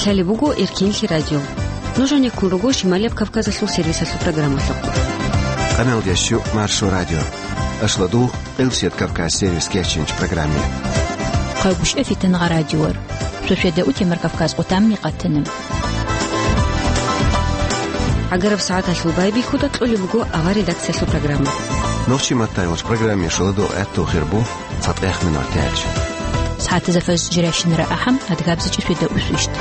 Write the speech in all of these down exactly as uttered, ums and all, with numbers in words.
Гьале буго Эркинлъи радио. Нуж гьанеккун руго Шималияб Кавказалъул сервисалъул программалъухъ. Къаналдияс щу Маршо радио. Ашладул Къилсият Кавказ сервис кечинч программе. Хъайгушев Фитангъа радиор. Шошеда утемар Кавказ къутамни къатана. Агараб сагӀаталъул байбихьуда кьолеб буго авар редакциялъул программа. Нохчи маттай вач программе шаладу гӀатту хирбу. Цадгъех минутач. СагӀатазда фаз жирайщинара ахӀам, адгабзичӀи фида усвищт.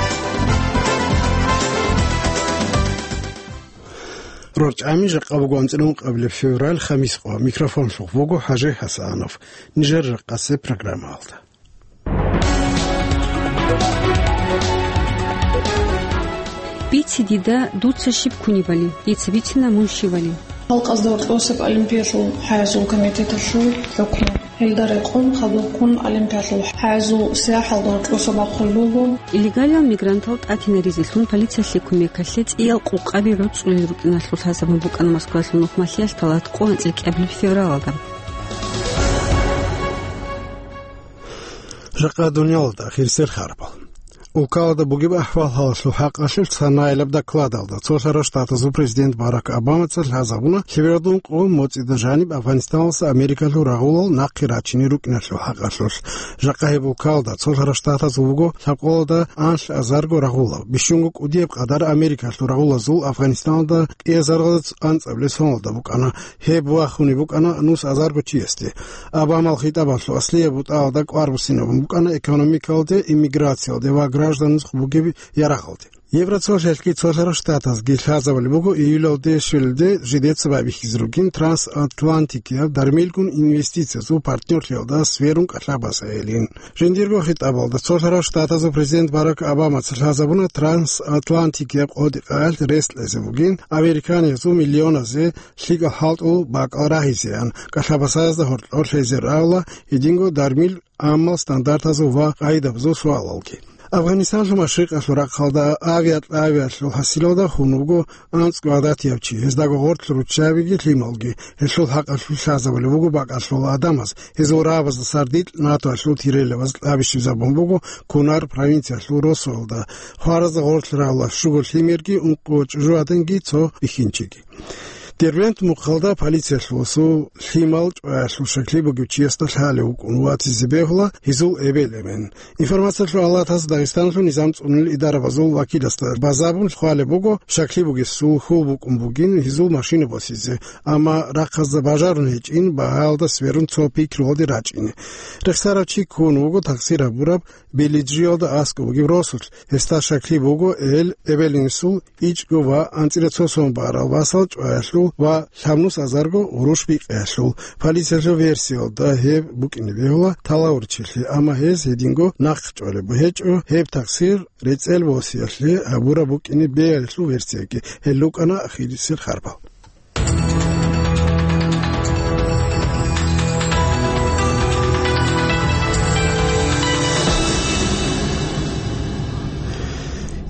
РорчӀами жакъа буго анцӀила ункъабилеб февраль, хамис къо. Микрофонлъухъ вуго ХӀажи ХӀасанов. Нижер рахъасе программалда. Бице дида, дуца щиб кунебали, дица бицина мун щивали. Халкъазда гьоркьосеб олимпиялъул хӀаязул комитеталъул хӀукму. Гьелда рекъон хадубккун олимпиялъул хӀаязул сияхӀалда гьоркьосеб бахъулеб буго. Нелегалал мигрантал тӀатинаризелъун полициялъе кумекалъе цӀиял къукъаби гӀуцӀулел рукӀиналъул лъазабун букӀана Москвалъул нухмалъиялъ талат къо анцӀила кӀиабилеб февралалда. Жакъа дуниялалда ахирисел харбал. Улкалда бугеб ахӀвал-гьалалъул хӀакъалъулъ санаилаб докладалда цолъарал штатазул президент Барак Обамаца лъазабуна лъебералда ункъо моцӀида жаниб Афганистаналдаса Америкалъул рагъулал нахъе рачине рукӀиналъул хӀакъалъулъ. Жакъа гьеб улкалда цолъарал штатазул буго лъабкъоялда анлъ азарго рагъулал, бищунго кӀудияб къадар Америкалъул рагъулазул Афганистаналда кӀиазарго анцӀабилеб соналда букӀана. Гьеб вахунеб букӀана нус азарго чиясде. Обамал хитӀабалъул аслияб бутӀаялда кӀвар буссинабун букӀана экономикалде, иммиграциялде ва гражданзухъ бугеб ярагъалде. Евроцолъалъги цолъарал штатазги лъазабулеб буго июлалде щвелалде жидеца байбихьизе ругин трансатлантикияб дармилгун инвестициязул партнерлъиялда сверун кӀалъаб босиялин. Жиндирго хитӀабалда цолъарал штатазул президент Барак Обамаца лъазабуна трансатлантикияб къотӀи-къаялъ рес кьезе бугин, американиязул миллионазе лъикӀал хӀалтӀул бакӀал рагьизеян, кӀалъаб босиязда гьоркьор лъезе рагӀула гьединго дармил амал стандартазул ва къагӀидабазул суалалги. Афганистанлъул машрикъалъул рахъалда авиакьабиялъул хӀасилалда хун вуго анцӀго гӀадатияб чи, гьездаго гъорлъ руччабиги лъималги. Гьелъул хӀакъалъулъ лъазабулеб буго бакӀалъул гӀадамаз, гьезул рагӀабазда сардилъ НАТОялъул тирилабаз кьабищизабун буго Кунар провинциялъул росуялда, хваразда гъорлъ рагӀула щуго лъимерги ункъо чӀужугӀаданги цо бихьинчиги. Дербент мухъалда полициялъул лъимал чӀваялъул щаклъи бугев чиясда лъалев вукӀун ватизе бегьула гьезул эбел-эмен. Информациялъул алатаз Дагъистаналъул низам цӀунулел идарабазул вакиласда базабун хъвалеб буго, щаклъи бугесул хьул букӀун бугин гьезул машина босизе, амма рахъазда бажарун гьечӀин, багьаялда сверун цо пикруялде рачӀине. Рехсарав чи ккун вуго такъсир гьабураб Белиджиялда аскӀоб бугеб росулъ, гьесда щаклъи буго эл эбел-инсул ичӀго ва анцӀила цо сон барал васал чӀваялъул ва лъабнус азарго гъурущ бикъиялъул. Полициялъул версиялда гьеб букӀине бегьула талавурчилъи, амма гьез гьединго нахъ чӀвалеб гьечӀо, гьеб такъсир рецӀел босиялъе гьабураб букӀине бегьилъул версияги. Гьел рукӀана ахирисел харбал.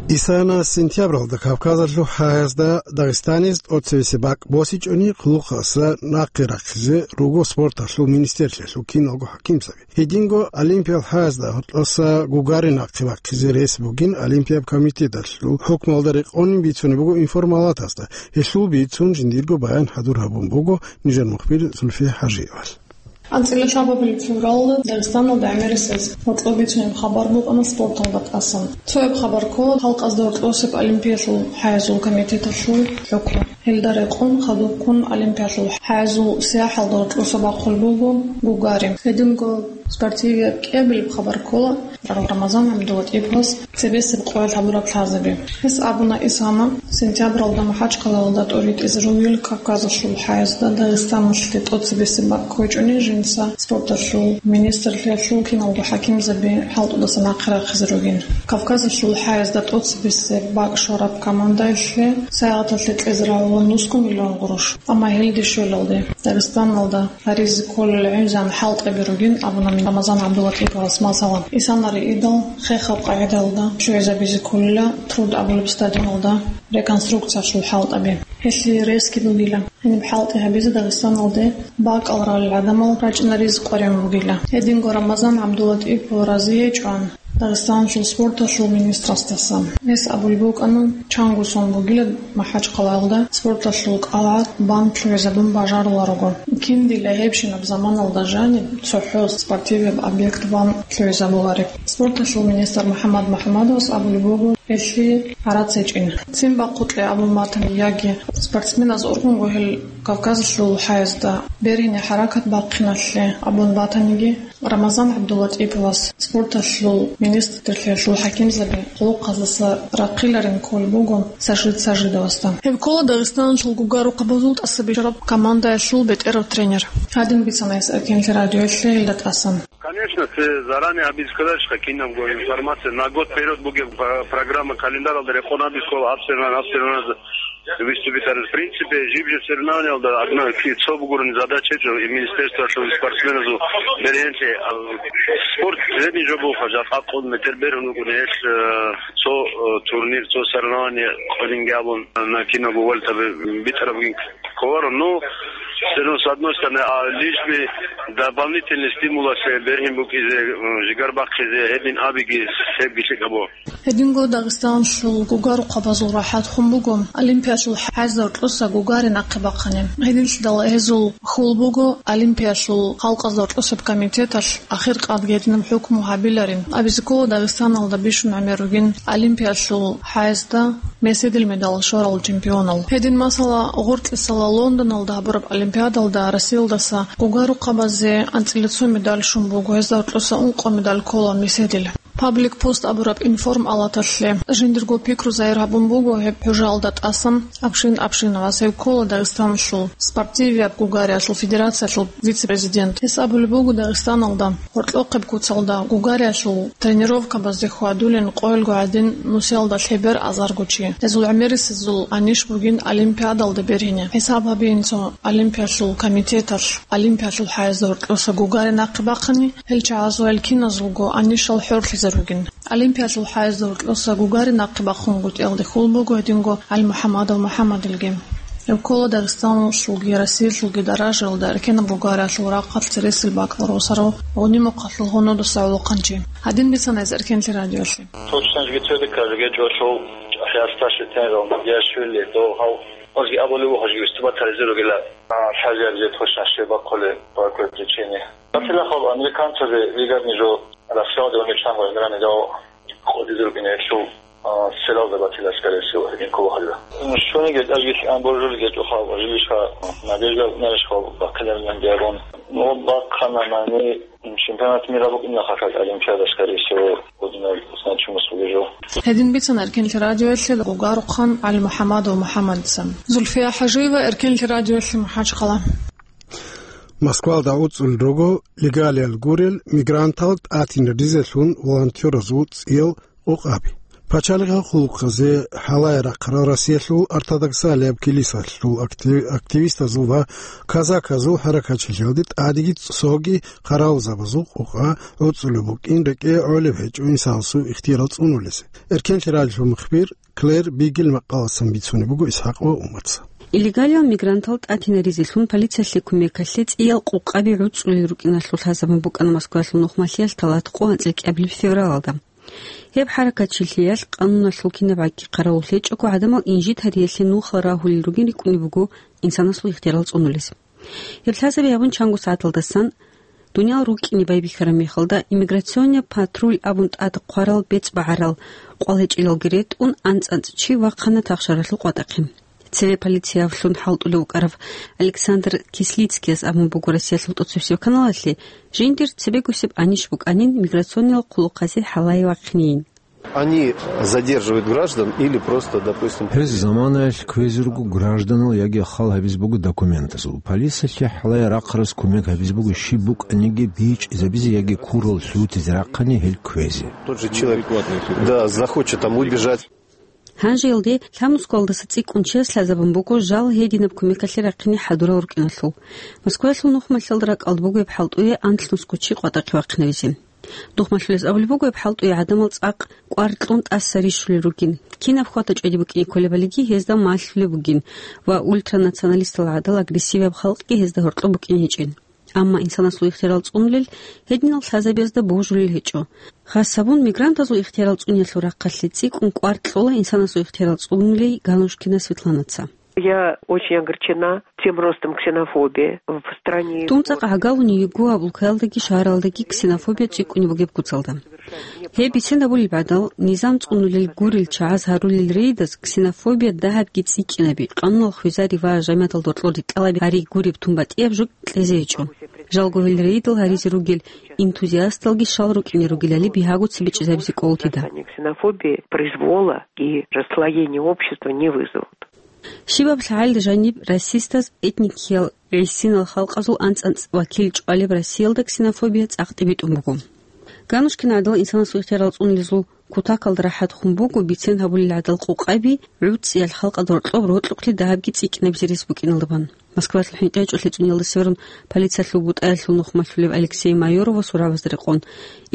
Исана сентябралда Кавказалъул хӀаязда Дагъистаниз тӀоцевесеб бакӀ босичӀони, хъулухъаса нахъе рахъизе руго спорталъул министрлъиялъул киналго хӀакимзаби. Гьединго Олимпиял хӀаязда гьоркьоса Гагарин нахъе бахъизе рес бугин Олимпияб комитеталъул хӀукмалда рекъонин бицунеб буго информалатазда. Гьелъул бицун жиндирго баян хӀадур гьабун буго нижер мухбир Зульфия ХӀажиевал. АнцӀила лъабабилеб февралда Дагъистаналда гӀемерисез гьоркьоб бицунеб хабар букӀана спорталда тӀасан. Цояб хабар ккола халкъазда гьоркьосеб Олимпиялъул хӀаязул комитеталъул хӀукму. Гьелда рекъон хадубккун Олимпиялъул хӀаязул сияхӀалда гьоркьоса бахъулеб буго Гагарин. Гьединго спортивияб кӀиабилеб хабар ккола Рамазан ГӀабдулатӀиповас цебесеб къоялъ гьабураб лъазаби. Гьес абуна Исана сентябралда МахӀачкъалаялда тӀоритӀизе ругел Кавказалъул хӀаязда Дагъистаналъе тӀоцебесеб бакӀ ккечӀони жинца спорталъул министрлъиялъул киналго хӀакимзаби хӀалтӀудаса нахъе рахъизе ругин. Кавказалъул хӀаязда тӀоцебесеб бакӀ щвараб командаялъе сагӀаталъе кьезе рагӀула нусго миллион гъурущ. Амма гьелде щвелалде Дагъистаналда гьаризе кколел гӀинзан хӀалтӀаби ругин абуна Рамазан ГӀабдулатӀиповас, масала, Исана риидал хехаб къагӀидаялда ччугӀизабизе кколила Труд абулеб стадионалда реконструкциялъул хӀалтӀаби. Гьелъие ресги бугила. Гьениб хӀалтӀи гьабизе Дагъистаналде бакӀал ралел гӀадамал рачӀинаризе къваригӀун бугила. Гьединго Рамазан ГӀабдулатӀипов рази гьечӀоан, Дагъистаналъул спорталъул министрасдаса. Гьес абулеб букӀана, чанго сон бугила МахӀачхъалаялда спорталъул кӀалгӀат бан лъугӀизабун бажаруларого. Киндила гьебщинаб заманалда жаниб цохӀо спортивияб объект бан лъугӀизабулареб. Спорталъул министр МухӀаммад МухӀаммадовас абулеб буго, гьелъие гӀарац гьечӀин. Цин бахъукье абун батани, яги спортсменаз ургъунго гьел Кавказалъул хӀаязда бергьине хӀаракат бахъиналъе абун батаниги, Рамазан ГӀабдуллатӀиповас, спорталъул министрлъиялъул хӀакимзаби хъулухъаздаса рахъиларин кколеб буго Сажид Сажидовасда. Гьев ккола Дагъистаналъул гугарухъабазул тӀасабищараб командаялъул бетӀерав тренер. Гьадин бицана гьес Эркенлъи радиоялъе гьелда тӀасан. Конечно, цо заранее абиз кколарищха кинабго информация, на год вперёд бугеб п-, программа календаралда рекъон абиз ккола, гьабсагӀат, гьабсагӀат выступить гьарун. В принципе, жиб-жиб соревнованиялда одна ки-, цо бугурни задача гьечӀо, и министерствоялъул спортсменазул бергьенлъи, а, спорт средний жо бугоха, жакъа къун метр бергьун вукӀуна гьелъ, э, цо, э, турнир, цо соревнование къваринги абун, на кинабго валютаби битӀараб бугин кколаро. Ну, все равно, с одной стороны, а, лишь бы дополнительный стимул асе бергьин букӀизе, э, жигар бахъизе, гьедин абиги, гьебги лъикӀаб буго. Гьединго Дагъистаналъул гугарухъабазул рахӀат хун буго Олимпиялъул хӀаязда гьоркьоса гугари нахъе бахъани. Гьединлъидал гьезул хьул буго Олимпиялъул халкъазда гьоркьосеб комитеталъ ахир къад гьединаб хӀукму гьабиларин. Абизе ккола Дагъистаналда бищун гӀемер ругин Олимпиялъул хӀаязда меседил медал щварал чемпионал. Гьедин, масала, гъоркьисала Лондоналда гьабураб Олимпиадалда Россиялдаса гугарухъабазе анцӀила цо медал щун буго, гьезда гьоркьоса ункъо медал ккола меседил. Паблик пост абураб информалаталъе жиндирго пикру загьир гьабун буго гьеб хӀужалда тӀасан Абшин Абшиновас, гьев ккола Дагъистаналъул спортивияб гугариялъул федерациялъул вице-президент. Гьес абулеб буго, Дагъистаналда гьоркьохъеб куцалда гугариялъул тренировкабазде хьвадулин къоялго гӀадин нусиялда лъебер азарго чи. Гьезул гӀемерисезул анищ бугин Олимпиадалда бергьине. ХӀисаб гьабиин цо Олимпиялъул комитеталъ, Олимпиялъул хӀаязда гьоркьоса гугари нахъе бахъани, гьел чагӀазул гьел киназулго анищал хӀорлъизе ругин. Олимпиялъул хӀаязда гьоркьоса гугари нахъе бахъунгутӀиялде хьул буго гьединго ГӀалимухӀаммадов МухӀаммадилги. Гьев ккола Дагъистаналъулги Россиялъулги даражаялда эркенаб гугариялъул рахъалъ цересел бакӀал росарав, гъуни-мухъалъул гьунудаса гӀолохъанчи. Гьадин бицана гьес Эркенлъи радиоялъе. Точно жги цо декабрь гьечӀо лъул хӀясташлъи тенрал Надиашвили, дов гьав озги абулев вуго жги выступать гьаризе ругила. А, лъазияб зе точно щиб бахъулеб, по какой причине. Батила хаб американцазе вигадни жо Россиялда вани чанго гӀемерани дав къодизел бинетлъул, а, селалда батила, скорее всего, гьедин ккола гьалда. Щониги тӀажги лъан боржулги гьечӀо хаб, жилищха, Надежда унарищха бахъиларилан диагон. Ну, бахъана мани, чемпионат мира букӀина хъахъал Олимпиада, скорее всего, гьединал значимость бугеб жо. Гьедин бицана Эркенлъи радиоялъе гугарухъан ГӀалимухӀаммадов МухӀаммадица. Зульфия ХӀажиева, Эркенлъи радиоялъе, МахӀачхъала. Москвалда гӀуцӀулел руго легалиял гурел мигрантал тӀатинризелъун волонтеразул цӀиял къокъаби. Пачалихъал хъулухъазе хӀалае рахъарал Россиялъул ортодоксалияб килисалъул актив-, активистазул ва казаказул хӀаракатчилъиялде тӀадеги цоги хъаравулзабазул къокъа гӀуцӀулеб букӀин рекӀее гӀолеб гьечӀо инсанасул ихтияр цӀунулесе. Эркенлъи радиоялъул мухбир Клэр Бигел макъаласан бицунеб буго Исхакъ ва Умарца. Илегалиял мигрантал тӀатинаризелъун полициялъе кумекалъе цӀиял къокъаби гӀуцӀулел рукӀиналъул лъазабун букӀана Москваялъул нухмалъиялъ талат къо анцӀила кӀиабилеб февралалда. Гьеб хӀаракатчилъиялъ къануналъул кинаб гӀакӀги хъаравуллъечӀого гӀадамал инжит гьариялъе нухал рагьулел ругин рикӀкӀунеб буго инсанасул ихтияр цӀунулес. Гьеб лъазаби гьабун чанго сагӀаталдасан дуниял рукӀине байбихьараб мехалда, иммиграционный патруль абун тӀад хъварал бецӀ багӀарал къвалечӀелалги ретӀун, анцӀ-анцӀ чи вахъана тахшаралъул къватӀахъе. Цеве полициялъун хӀалтӀулев вукӀарав Александр Кислицкияс абун буго Россиялъул тӀоцебесеб каналалъе, жиндир цебегусеб анищ букӀанин миграционныйал хъулухъазе хӀалае вахъинейин. Они задерживают граждан или просто, допустим, Гьез заманаялъ кквезе руго гражданал яги хал гьабизе буго документазул. Полициялъе хӀалае рахъарас кумек гьабизе буго щиб букӀаниги бичӀчӀизабизе яги курал лъутизе рахъани гьел кквезе. Тот же человек, да, захочет там убежать. Гьанже илде лъабнусгоялдаса цӀикӀкӀун чияс лъазабун буго жал гьединаб кумекалъе рахъине хӀадурал рукӀиналъул. Москваялъул нухмалъиялда ракӀалда буго гьеб хӀалтӀуе анлънусго чи къватӀахъе вахъинавизе. Нухмалъулес абулеб буго гьеб хӀалтӀуе гӀадамал цӀакъ кӀвар кьун тӀаса рищулел ругин. Кинаб хватачӀвади букӀине кколебалиги гьезда малъулеб бугин ва ультранационалистал гӀадал агрессивияб халкъги гьезда гьоркьоб букӀине гьечӀин. Амма инсанасул ихтиярал цӀунулел гьединал лъазабазда божулел гьечӀо. Хас гьабун, мигрантазул ихтиярал цӀуниялъул рахъалъе цӀикӀкӀун кӀвар кьола инсанасул ихтиярал цӀунулей Ганушкина Светланаца. Я очень огорчена тем ростом ксенофобии в стране. Тун цӀакъ гӀагалуни йигу гьаб улкаялдаги шагьаралдаги ксенофобия цӀикӀкӀунеб бугеб куцалда. Гьеб бицен гьабулеб гӀадал, низам цӀунулел гурел чагӀаз гьарулел рейдаз ксенофобия дагьабги цӀикӀкӀинаби, къануналъ хвезари ва жамияталда гьоркьор рикӀкӀалаби гьари гуреб тун батӀияб жо кьезе гьечӀо. Жалго гьел рейдал гьаризе ругел энтузиасталги щал рукӀине ругелали бигьаго цебе чӀезабизе кӀолтида. Ксенофобии, произвола и расслоения общества не вызовут. Щибаб лъагӀел жаниб расистаз этникиял гӀисинал халкъазул анцӀ-анцӀ вакил чӀвалеб Россиялда ксенофобия цӀакъ тӀибитӀун буго. Ганушкина гӀадал инсанасул ихтиярал цӀунилизул кутакалда рахӀат хун буго бицен гьабулел гӀадал къукъаби гӀуцӀиялъ халкъалда гьоркьоб рокьухълъи дагьабги цӀикӀкӀинабизе рес букӀиналдабан. Москвалъул хӀинкъи гьечӀолъи цӀуниялда северун полициялъул бутӀаялъул нухмалъулев Алексей Майорова сурабазда рекъон.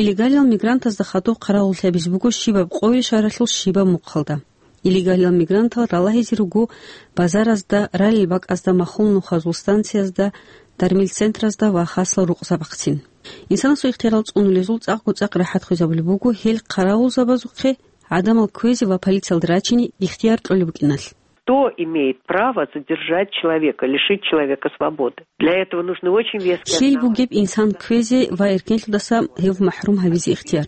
Илегалиял мигрантазда хадуб хъаравуллъи гьабизе буго щибаб къойил шагьаралъул щибаб мухъалда. Илегалиял мигрантал ралагьизе руго базаразда, ралел бакӀазда, махул нухазул станциязда, дармил центразда ва хасал рукъзабахъцин. Инсанасул ихтиярал цӀунулезул цӀакъго-цӀакъ рахӀат хвезабулеб буго гьел хъаравулзабазухъе гӀадамал кквезе ва полициялда рачине ихтияр кьолеб букӀиналъ. Кто имеет право задержать человека, лишить человека свободы? Для этого нужны очень веские основания. Лъил бугеб инсан кквезе ва эркенлъудаса гьев махӀрум гьавизе ихтияр?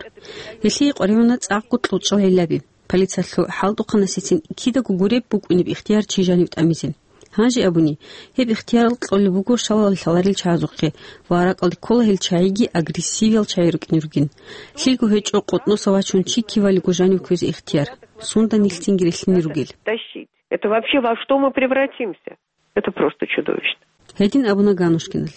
Гьелъие къваригӀуна цӀакъго кьучӀал гӀиллаби. Полициялъул хӀалтӀухъанасецин кидаго гуреб букӀунеб ихтияр чи жанив тӀамизе. Гьанже абуни, гьеб ихтияр кьолеб буго шалал лъаларел чагӀазухъе ва ракӀалде ккола гьел чагӀиги агрессивиял чагӀи рукӀине ругин. Лъилго гьечӀо къотӀноса вачун чи кивалиго жанив кквезе ихтияр, сунда нилъ цинги рилълъине ругел. Тащить. Это вообще во что мы превратимся? Это просто чудовищно. Гьедин абуна Ганушкиналъ.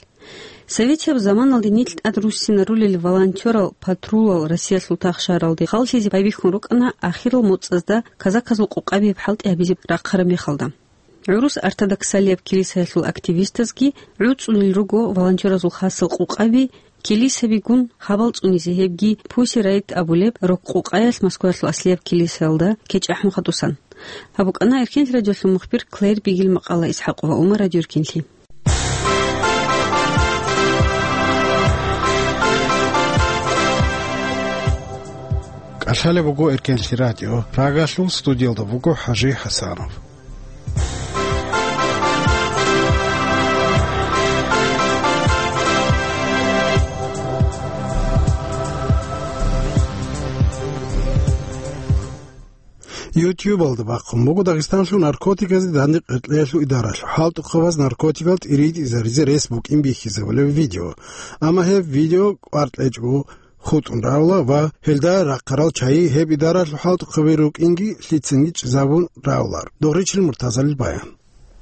Советияб заманалде нилъ тӀад руссинарулел волонтерал патрулал Россиялъул тахшаралде халлъизе байбихьун рукӀана ахирал моцӀазда казаказул къукъабияб хӀалтӀи гьабизе рахъараб мехалда. ГӀурус ортодоксалияб килисаялъул активистазги гӀуцӀулел руго волонтеразул хасал къукъаби, килисабигун хабал цӀунизе гьебги Pussy Riot абулеб рок-къукъаялъ Москваялъул аслияб килисаялда кечӀ ахӀун хадусан. Гьаб букӀана Эркенлъи радиолъул мухбир Клэр Бигил макъала, ИсхӀакъова Умар радиоэркенлъи. КӀалъалеб буго Эркенлъи радио, Прагалъул студиялда буго ХӀажи ХӀасанов. YouTube-алда бахъун буго Дагъистаналъул наркотиказде дандекъ гъоркьиялъул идаралъул хӀалтӀухъабаз наркотикал тӀиритӀизаризе рес букӀин бихьизабулеб видео. Амма гьеб видео кӀвар кьечӀого хутӀун равла ва гьелда рахъарал чагӀи гьеб идаралъул хӀалтӀухъаби рукӀинги лъицинги чӀезабун равлар. Догъричил Муртазалил баян.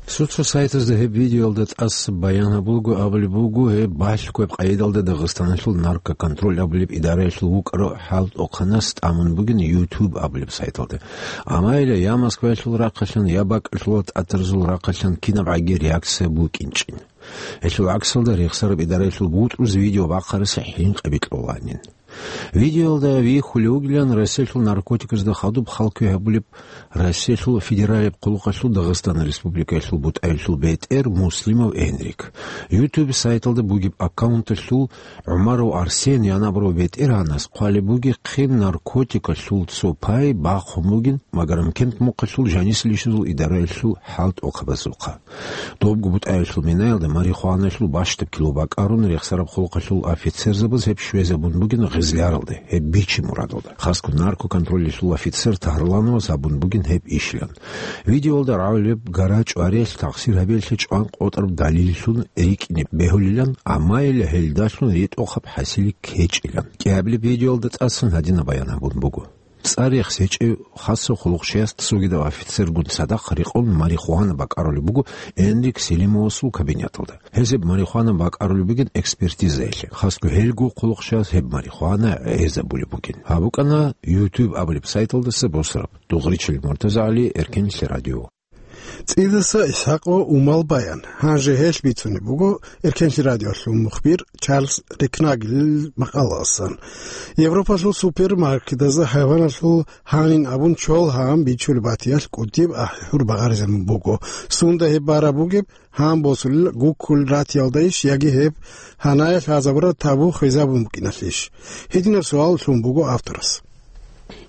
Соцсайтазда гьеб видеоялда тӀаса баян гьабулго абулеб буго, гьеб балъго гьеб къайдалда Дагъистаналъул наркоконтроль абулеб идараялъул вукӀарав хӀалтӀухъанас тӀамун бугин YouTube абулеб сайталда. Амма гьеле я Москваялъул рахъалъан, я бакӀалъулал тӀатарзул рахъалъан кинабгӀаги реакция букӀинчӀин. Гьелъул гӀаксалда рехсараб идараялъул бутӀруз видео бахъарасе хӀинкъи бикьуланин. Видеоялда вихьулев вугилан Россиялъул наркотиказда хадуб хал кквей гьабулеб Россиялъул федералияб хъулухъалъул Дагъистан Республикаялъул бутӀаялъул бетӀер Муслимов Энрик. YouTube сайталда бугеб аккаунталъул ГӀумаров Арсен янабурав бетӀергьанас хъвалеб бугехъин наркотикалъул цо пай бахъун бугин Магарамкент мухъалъул жанисел ишазул идараялъул хӀалтӀухъабазухъа. Добго бутӀаялъул минаялда марихуаналъул бащдаб кило бакӀарун рехсараб хъулухъалъул офицерзабаз гьеб щвезабун бугин гъезляралде, гьеб бичи мурадалда. Хасго наркоконтролялъул офицер Тагьрлановаз абун бугин гьеб ишилан. Видеоялда рагӀулеб гара чӀвариялъ тахсир гьабиялъе чӀван къотӀараб далиллъун рикӀкӀине бегьулилан, амма гьелдалъун ритӀухъаб хӀасили ккечӀилан. КӀиабилеб видеоялда тӀасан гьадинаб баян гьабун буго. ЦӀар рехс гьечӀев хасав хъулухъчияс цогидав офицергун цадахъ рекъон марихуана бакӀарулеб буго Энрик Селимовасул кабинеталда. Гьезаб марихуана бакӀарулеб бугин экспертизаялъе. Хасго гьелго хъулухъчияс гьеб марихуана гӀезабулеб бугин. Гьаб букӀана YouTube абулеб сайталдаса босараб. Дугъричил Муртазагьали, Эркенлъи радио. ЦӀидаса ИсхӀакъ ва Умал баян. Гьанже гьелъ бицунеб буго Эркенлъи радиолъул мухбир Чарльз Рекнагелил макъалаялдасан. Европалъул супермаркетазда хӀайваналъул гьанин абун чол гьан бичулеб батиялъ кӀудияб ахӀи-хӀур багъаризабун буго. Сунда гьеб бараб бугеб, гьан босулел гуккул ратиялдайищ яги гьеб гьанаялъ лъазабураб табу хвезабун букӀиналъищ? Гьединаб суал лъун буго авторас.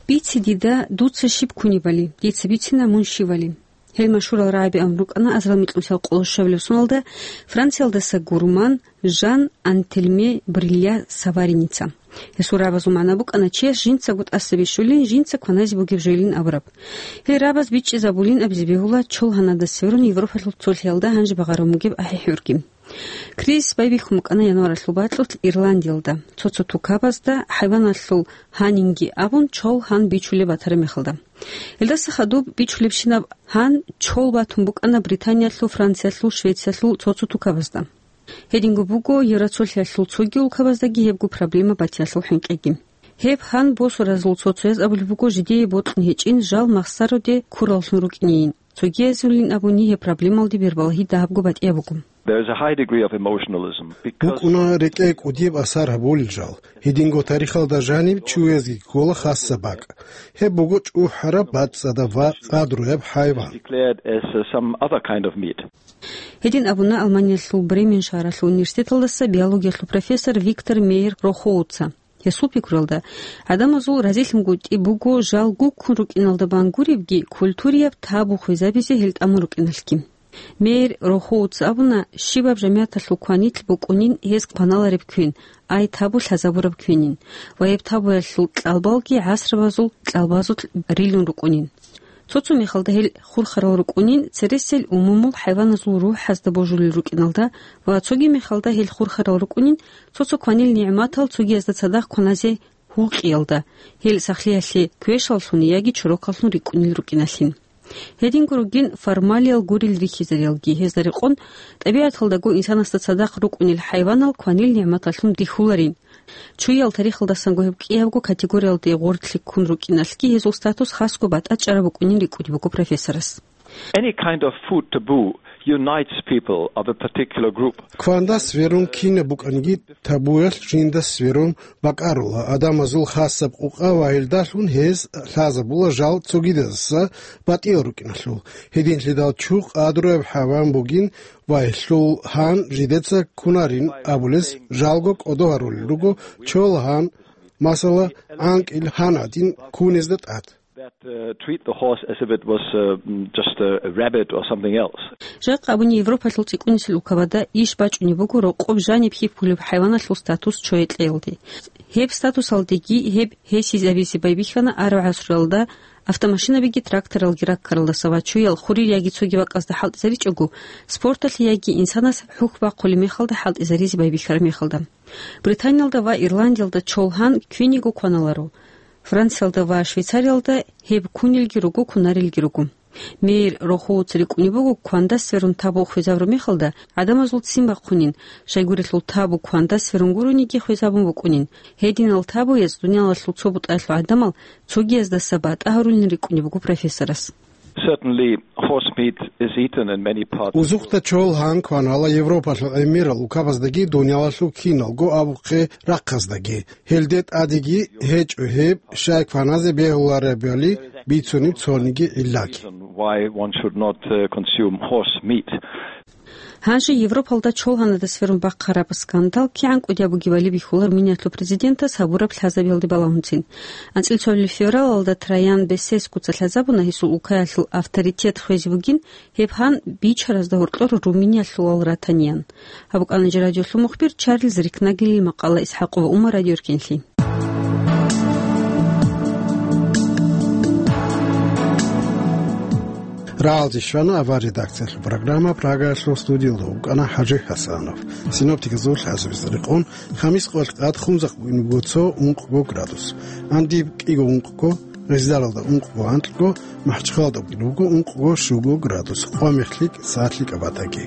Бице дида, дуца щиб кунебали, дица бицина мун щивали. Гьел машгьурал рагӀаби абун рукӀана азарал микьнусиялда къоло щабилеб соналда Франциялдаса гурман Жан Антельме Брилья Савариница. Гьесул рагӀабазул магӀна букӀана чияс жинцаго тӀаса бищулин, жинца кваназе бугеб жойилин абураб. Гьел рагӀабаз бичӀчӀизабулин абизе бегьула чол гьанадаса сверун Европалъул цолъиялда гьанже багъараб бугеб ахӀи-хӀурги. Кризис байбихьун букӀана январалъул бакьулъ Ирландиялда, цо-цо тукабазда хӀайваналъул гьанинги абун чол гьан бичулеб батараб мехалда. Гьелдаса хадуб бичулебщинаб гьан чол батун букӀана Британиялъул, Франциялъул, Швециялъул цо-цо тукабазда. Гьединго буго Евроцолъиялъул цоги улкабаздаги гьебго проблема батиялъул хӀинкъиги. Гьеб гьан босуразул цо-цояз абулеб буго жидее бокьун гьечӀин жал махсароде ккураллъун рукӀинейин. Цогиязулин абуни гьеб проблемалде бербалагьи дагьабго батӀияб буго. There is a high degree of emotionalism because БукӀуна рекӀее кӀудияб асар гьабулел жал. Гьединго тарихалда жаниб чуязги ккола хасаб бакӀ. Гьеб буго чӀухӀараб, бацӀцӀадаб ва къадруяб хӀайван. Declared as, uh, some other kind of meat. Гьедин абуна Алманиялъул Бремен шагьаралъул университеталдаса биологиялъул профессор Виктор Мейер Рохоуца. Гьесул пикруялда, гӀадамазул разилъунгутӀи буго жал гуккун рукӀиналда бан гуребги, культурияб табу хвезабизе гьел тӀамун рукӀиналъги. Мейер Рохоуца абуна, щибаб жамигӀаталъул кванилъ букӀунин гьез кваналареб квен, ай табу лъазабураб квенин, ва гьеб табуялъул кьалбалги гӀасрабазул кьалбазулъ рилун рукӀунин. Цо-цо мехалда гьел хурхарал рукӀунин цересел умумул хӀайваназул рухӀазда божулел рукӀиналда ва цоги мехалда гьел хурхарал рукӀунин цо-цо кванил нигӀматал цогиязда цадахъ кваназе гьукъиялда, гьел сахлъиялъе квешаллъун яги чорокаллъун рикӀкӀунел рукӀиналъин. Гьединго ругин формалиял гурел рихьизариялги, гьезда рекъон, тӀабигӀаталдаго инсанасда цадахъ рукӀунел хӀайванал кванил нигӀматаллъун рихьуларин. Чуял тарихалдасанго гьеб кӀиябго категориялде гъорлъи ккун рукӀиналъги гьезул статус хасго батӀачӀараб букӀунин рикӀкӀунеб буго профессорас. Any kind of food taboo unites people of a particular group. Квандас верун кинаб букӀаниги, табуялъ жиндас верун бакӀарула гӀадамазул хасаб къукъа ва гьелдалъун гьез лъазабула жал цогидаса батӀиял рукӀиналъул. Гьединлъидал чу къадруяб хӀайван бугин ва гьелъул гьан жидеца кунарин абулес жалго кӀодо гьарулел руго чол гьан, масала, гӀанкӀил гьан гӀадин кунезда тӀад. That, uh, treat the horse as if it was, uh, mm, just a, a rabbit or something else. Жакъа абуни Европалъул цӀикӀкӀунисел улкабада иш бачӀунеб буго рокъоб жаниб хьихьулеб хӀайваналъул статус чоякьеялде. Гьеб статусалдеги гьеб гьесизабизе байбихьана араб гӀасруялда автомашинабиги тракторалги раккаралдаса ва чуял хурир яги цоги бакӀазда хӀалтӀизаричӀого, спорталъе яги инсанас хӀухь бахъулеб мехалда хӀалтӀизаризе байбихьараб мехалда. Британиялда ва Ирландиялда чол гьан квениго кваналаро. Франциялда ва Швейцариялда гьеб кунелги руго, кунарелги руго. Мейер Рохоуца рикӀкӀунеб буго, квандас верун табу хвезабураб мехалда гӀадамазул ццин бахъунин, щайгурелъул табу квандас верун гурониги хвезабун букӀунин. Гьединал табуяз дуниялалъул цо бутӀаялъул гӀадамал цогияздаса батӀа гьарулин рикӀкӀунеб буго профессорас. Certainly, horse meat is eaten in many parts of the world. Узухъда чол гьан кванала Европалъул гӀемерал улкабаздаги дуниялалъул киналго абухъе рахъаздаги. Гьелде тӀадеги гьечӀо гьеб, щай кваназе бегьуларебали бицунеб цониги гӀиллаги. Reason why one should not, uh, consume horse meat. Гьанже Европалда чол гьанадас верун бахъараб скандал кигӀан кӀудияб бугебали бихьула Румыниялъул президентас гьабураб лъазабиялде балагьунцин. АнцӀила цоабилеб февралалда Траян Бесескуца лъазабуна гьесул улкаялъул авторитет хвезе бугин, гьеб гьан бичаразда гьоркьор Румыниялъулал ратаниян. Гьаб букӀана жи радиолъул мухбир Чарльз Рикнагелил макъала. ИсхӀакъ ва Умар, Радио Эркенлъи. РагӀалде щвана авар редакциялъул программа, Прагаялъул студиялда вукӀана ХӀажи ХӀасанов. Синоптикзул хӀасабизе рекъон, хамис къоялъ къад хунзахъ буго цо ункъго градус, гӀандиб кӀиго ункъго, Гъездаралда ункъго анкьго, МахӀачхъалалда буго ункъго щуго градус, къо-мех лъикӀ, сагӀат лъикӀаб батаги.